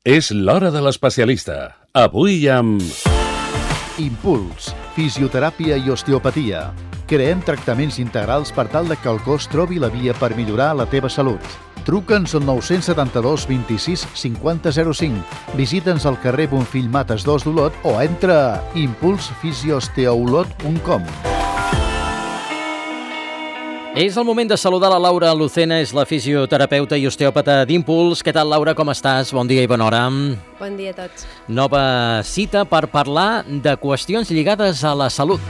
És l'hora de l'especialista. Avui amb... Impuls, fisioteràpia i osteopatia. Creem tractaments integrals per tal que el cos trobi la via per millorar la teva salut. Truca'ns al 972 26 50 05. Visita'ns al carrer Bonfill Mates 2 d'Olot o entra a impulsfisiosteolot.com. És el moment de saludar la Laura Lucena, és la fisioterapeuta i osteòpata d'Impuls. Què tal, Laura, com estàs? Bon dia i bona hora. Bon dia a tots. Nova cita per parlar de qüestions lligades a la salut.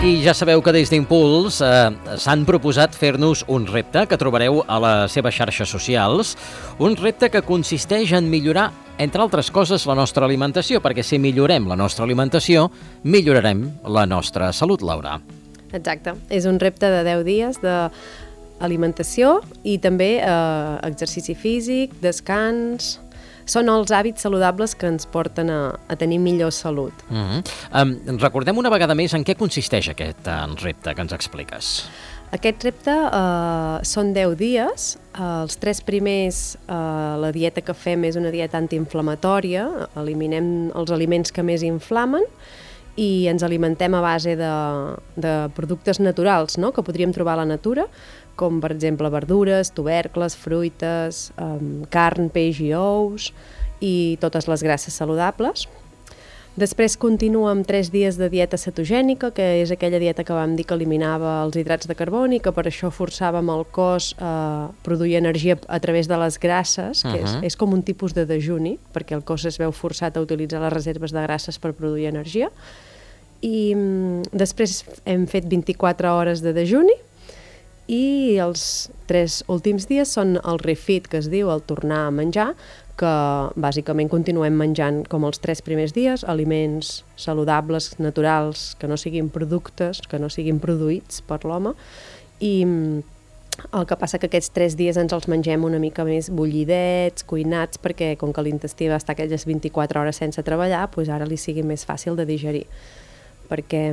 I ja sabeu que des d'Impuls s'han proposat fer-nos un repte que trobareu a les seves xarxes socials, un repte que consisteix en millorar, entre altres coses, la nostra alimentació, perquè si millorem la nostra alimentació, millorarem la nostra salut, Laura. Exacte. És un repte de 10 dies d'alimentació i també exercici físic, descans. Són els hàbits saludables que ens porten a tenir millor salut. Recordem una vegada més en què consisteix aquest repte que ens expliques. Aquest repte són 10 dies. Els 3 primers, la dieta que fem és una dieta antiinflamatòria. Eliminem els aliments que més inflamen i ens alimentem a base de productes naturals, no?, que podríem trobar a la natura, com per exemple verdures, tubercles, fruites, carn, peix i ous, i totes les grasses saludables. Després continua amb 3 dies de dieta cetogènica, que és aquella dieta que vam dir que eliminava els hidrats de carboni, que per això forçàvem el cos a produir energia a través de les grasses, que és com un tipus de dejuni, perquè el cos es veu forçat a utilitzar les reserves de grasses per produir energia. I després hem fet 24 hores de dejuni i els 3 últims dies són el refit, que es diu, el tornar a menjar, que bàsicament continuem menjant com els 3 primers dies, aliments saludables, naturals, que no siguin productes, que no siguin produïts per l'home, i el que passa que aquests 3 dies ens els mengem una mica més bullidets, cuinats, perquè com que l'intestí va estar aquelles 24 hores sense treballar, doncs ara li sigui més fàcil de digerir. Perquè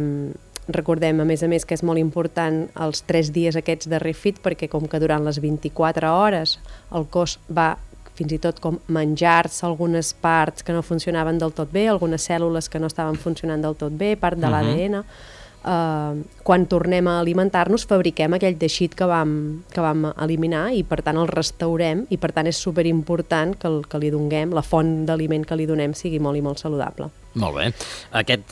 recordem, a més, que és molt important els 3 dies aquests de refit, perquè com que durant les 24 hores el cos va fins i tot com menjar-se algunes parts que no funcionaven del tot bé, algunes cèl·lules que no estaven funcionant del tot bé, part de l'ADN. Quan tornem a alimentar-nos fabriquem aquell teixit que vam eliminar i per tant el restaurem, i per tant és superimportant que li donem, la font d'aliment que li donem sigui molt i molt saludable. Molt bé. Aquest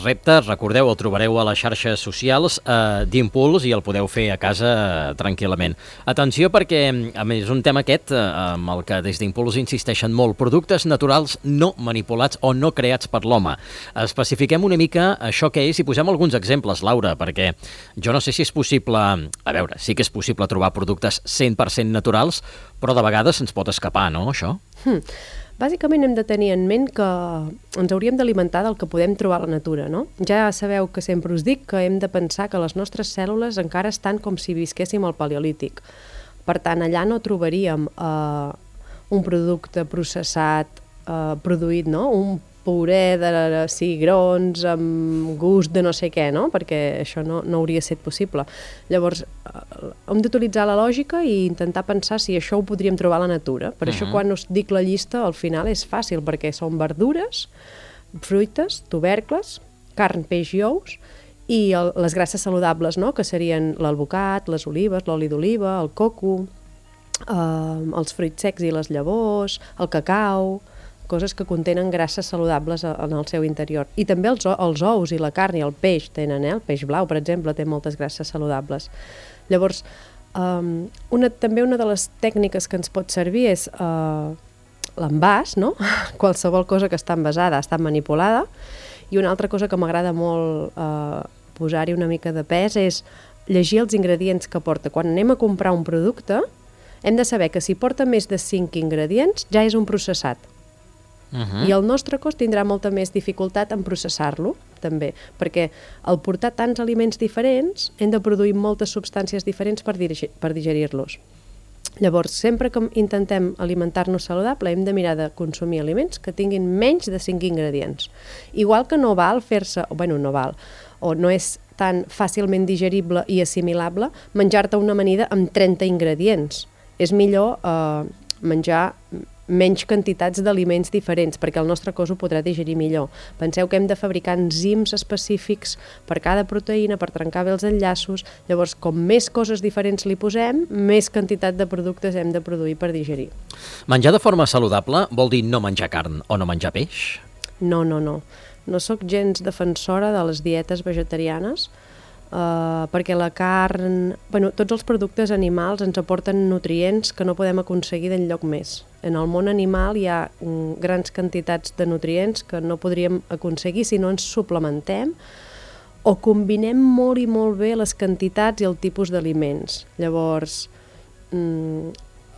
repte, recordeu, el trobareu a les xarxes socials d'Impuls i el podeu fer a casa tranquil·lament. Atenció perquè, a més, és un tema aquest amb el que des d'Impuls insisteixen molt, productes naturals no manipulats o no creats per l'home. Especifiquem una mica això que és i posem alguns exemples, Laura, perquè jo no sé si és possible, a veure, sí que és possible trobar productes 100% naturals, però de vegades ens pot escapar, no, això? Bàsicament hem de tenir en ment que ens hauríem d'alimentar del que podem trobar a la natura, no? Ja sabeu que sempre us dic que hem de pensar que les nostres cèl·lules encara estan com si visquéssim al paleolític. Per tant, allà no trobaríem un producte processat, produït, no?, un puré de cigrons amb gust de no sé què, no?, perquè això no hauria estat possible. Llavors, hem d'utilitzar la lògica i intentar pensar si això ho podríem trobar a la natura. Per això quan us dic la llista, al final és fàcil, perquè són verdures, fruites, tubercles, carn, peix i ous, i les grasses saludables, no?, que serien l'alvocat, les olives, l'oli d'oliva, el coco, els fruits secs i les llavors, el cacau, coses que contenen grasses saludables en el seu interior. I també els ous i la carn i el peix tenen, el peix blau, per exemple, té moltes grasses saludables. Llavors, també una de les tècniques que ens pot servir és l'envàs, no? Qualsevol cosa que està envasada ha estat manipulada. I una altra cosa que m'agrada molt posar-hi una mica de pes és llegir els ingredients que porta. Quan anem a comprar un producte, hem de saber que si porta més de 5 ingredients ja és un processat. I el nostre cos tindrà molta més dificultat en processar-lo, també, perquè al portar tants aliments diferents hem de produir moltes substàncies diferents per digerir-los. Llavors, sempre que intentem alimentar-nos saludable, hem de mirar de consumir aliments que tinguin menys de 5 ingredients. Igual que no val fer-se, no val, o no és tan fàcilment digerible i assimilable menjar-te una amanida amb 30 ingredients. És millor menjar menys quantitats d'aliments diferents, perquè el nostre cos ho podrà digerir millor. Penseu que hem de fabricar enzims específics per cada proteïna, per trencar bé els enllaços, llavors com més coses diferents li posem, més quantitat de productes hem de produir per digerir. Menjar de forma saludable vol dir no menjar carn o no menjar peix? No. No sóc gens defensora de les dietes vegetarianes, perquè la carn... tots els productes animals ens aporten nutrients que no podem aconseguir d'enlloc més. En el món animal hi ha grans quantitats de nutrients que no podríem aconseguir si no ens suplementem o combinem molt i molt bé les quantitats i el tipus d'aliments. Llavors,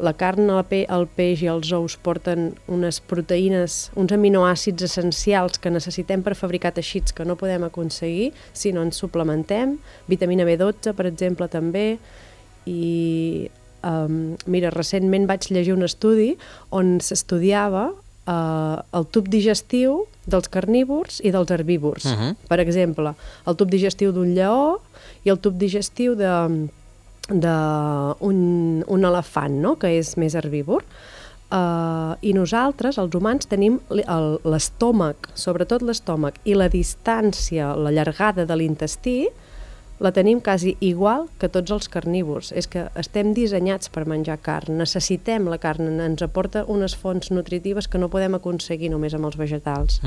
la carn, el peix i els ous porten unes proteïnes, uns aminoàcids essencials que necessitem per fabricar teixits que no podem aconseguir si no ens suplementem. Vitamina B12, per exemple, també. I mira, recentment vaig llegir un estudi on s'estudiava el tub digestiu dels carnívors i dels herbívors. Per exemple, el tub digestiu d'un lleó i el tub digestiu d'un elefant, no? Que és més herbívor. I nosaltres, els humans, tenim l'estómac, sobretot l'estómac, i la distància, la llargada de l'intestí, la tenim quasi igual que tots els carnívors. És que estem dissenyats per menjar carn, necessitem la carn, ens aporta unes fonts nutritives que no podem aconseguir només amb els vegetals.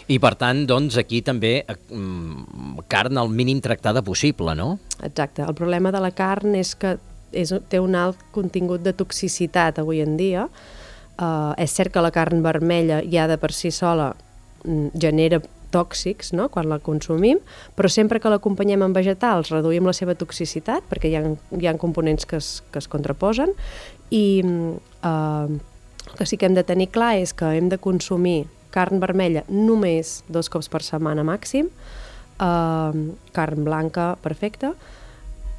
I per tant, doncs, aquí també carn al mínim tractada possible, no? Exacte. El problema de la carn és que té un alt contingut de toxicitat avui en dia. És cert que la carn vermella ja de per si sola genera tòxics, no?, quan la consumim, però sempre que l'acompanyem amb vegetals reduïm la seva toxicitat perquè hi ha components que es contraposen i el que sí que hem de tenir clar és que hem de consumir carn vermella només 2 cops per setmana màxim, carn blanca perfecta,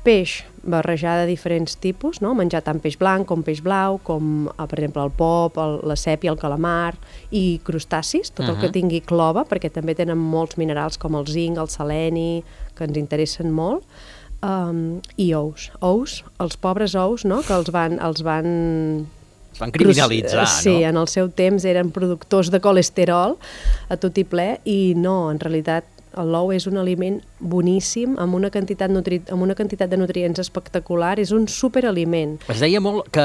peix barrejar de diferents tipus, no? Menjar tant peix blanc com peix blau, com per exemple el pop, la sèpia, el calamar i crustacis, tot el que tingui clova, perquè també tenen molts minerals com el zinc, el seleni, que ens interessen molt, i ous, els pobres ous, no? Que els van criminalitzar, no? Sí, en el seu temps eren productors de colesterol a tot i ple i no, en realitat l'ou és un aliment boníssim, amb una quantitat de nutrients espectacular, és un superaliment. Es deia molt que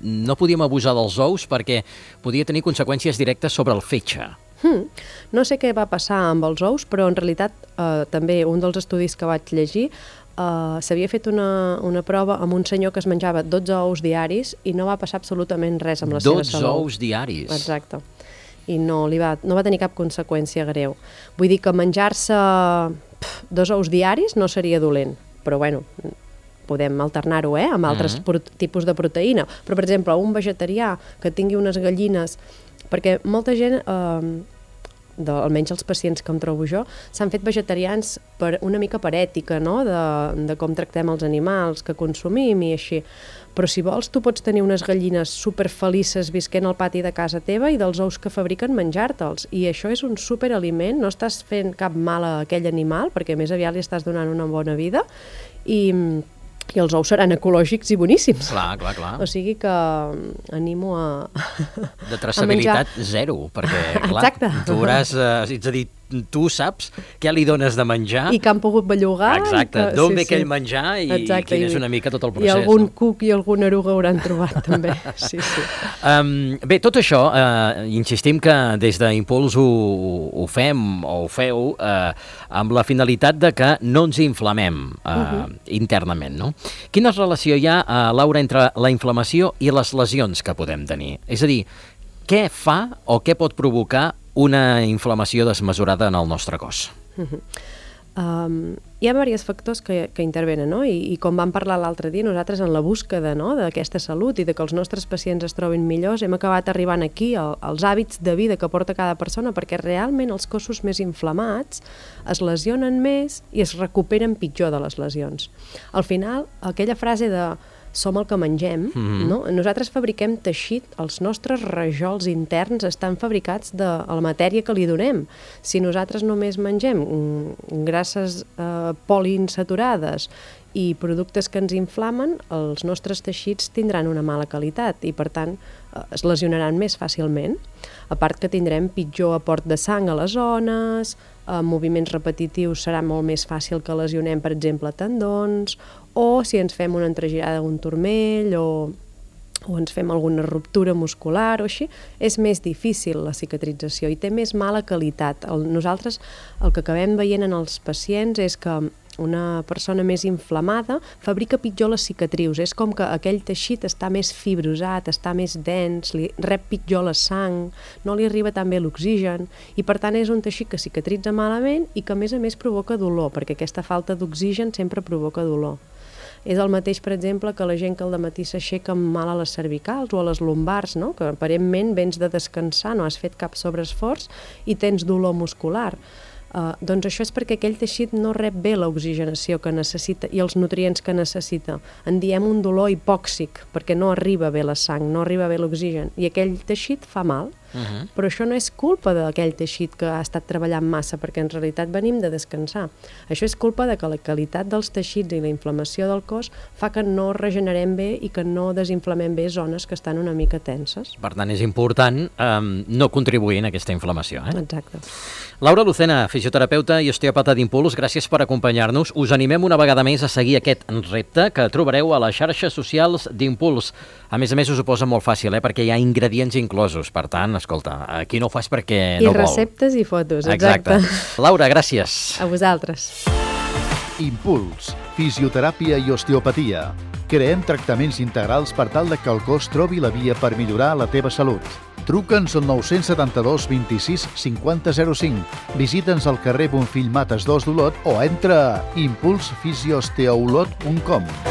no podíem abusar dels ous perquè podia tenir conseqüències directes sobre el fetge. No sé què va passar amb els ous, però en realitat també un dels estudis que vaig llegir s'havia fet una prova amb un senyor que es menjava 12 ous diaris i no va passar absolutament res amb la seva salut. 12 ous diaris? Exacte. I no va tenir cap conseqüència greu. Vull dir que menjar-se 2 ous diaris no seria dolent, però bueno, podem alternar-ho amb altres tipus de proteïna. Però, per exemple, un vegetarià que tingui unes gallines, perquè molta gent, almenys els pacients que em trobo jo, s'han fet vegetarians una mica per ètica, no?, de com tractem els animals que consumim i així. Però si vols, tu pots tenir unes gallines superfelices visquent al pati de casa teva i dels ous que fabriquen menjar-te'ls. I això és un superaliment, no estàs fent cap mal a aquell animal, perquè més aviat li estàs donant una bona vida, i els ous seran ecològics i boníssims. Clar. O sigui que animo a de traçabilitat zero, perquè, clar, exacte. Tu hauràs, és a dir, tu saps què li dones de menjar. I que han pogut bellugar. Exacte, d'on ve aquell menjar i quin és una mica tot el procés. I algun cuc i alguna eruga hauran trobat, també. Sí. Bé, tot això, insistim que des d'Impuls ho fem o ho feu amb la finalitat de que no ens inflamem internament, no? Quina relació hi ha, Laura, entre la inflamació i les lesions que podem tenir? És a dir, què fa o què pot provocar una inflamació desmesurada en el nostre cos? Hi ha diversos factors que intervenen, no? I com vam parlar l'altre dia, nosaltres en la búsqueda, no?, d'aquesta salut i de que els nostres pacients es trobin millors, hem acabat arribant aquí als hàbits de vida que porta cada persona, perquè realment els cossos més inflamats es lesionen més i es recuperen pitjor de les lesions. Al final, aquella frase de som el que mengem, no? Nosaltres fabriquem teixit, els nostres rajols interns estan fabricats de la matèria que li donem. Si nosaltres només mengem grasses poliinsaturades i productes que ens inflamen, els nostres teixits tindran una mala qualitat i, per tant, es lesionaran més fàcilment. A part que tindrem pitjor aport de sang a les zones, moviments repetitius serà molt més fàcil que lesionem, per exemple, tendons, o si ens fem una entregirada d'un turmell o ens fem alguna ruptura muscular o així, és més difícil la cicatrització i té més mala qualitat. Nosaltres el que acabem veient en els pacients és que una persona més inflamada fabrica pitjor les cicatrius. És com que aquell teixit està més fibrosat, està més dens, li rep pitjor la sang, no li arriba tan bé l'oxigen i per tant és un teixit que cicatritza malament i que a més provoca dolor, perquè aquesta falta d'oxigen sempre provoca dolor. És el mateix, per exemple, que la gent que al dematí s'aixeca amb mal a les cervicals o a les lumbars, no? Que aparentment vens de descansar, no has fet cap sobreesforç i tens dolor muscular. Doncs això és perquè aquell teixit no rep bé l'oxigenació que necessita i els nutrients que necessita. En diem un dolor hipòxic, perquè no arriba bé la sang, no arriba bé l'oxigen, i aquell teixit fa mal. Però això no és culpa d'aquell teixit que ha estat treballant massa, perquè en realitat venim de descansar. Això és culpa de que la qualitat dels teixits i la inflamació del cos fa que no regenerem bé i que no desinflamem bé zones que estan una mica tenses. Per tant, és important no contribuir en aquesta inflamació. Exacte. Laura Lucena, fisioterapeuta i osteòpata d'Impuls, gràcies per acompanyar-nos. Us animem una vegada més a seguir aquest repte que trobareu a les xarxes socials d'Impuls. A més, us ho posa molt fàcil, perquè hi ha ingredients inclosos. Per tant, escolta, aquí no ho fas perquè no vol. I receptes i fotos, exacte. Laura, gràcies. A vosaltres. Impuls, fisioteràpia i osteopatia. Creem tractaments integrals per tal que el cos trobi la via per millorar la teva salut. Truca'ns al 972 26 50 05. Visita'ns al carrer Bonfill Mates 2 d'Olot o entra a impulsfisiosteolot.com.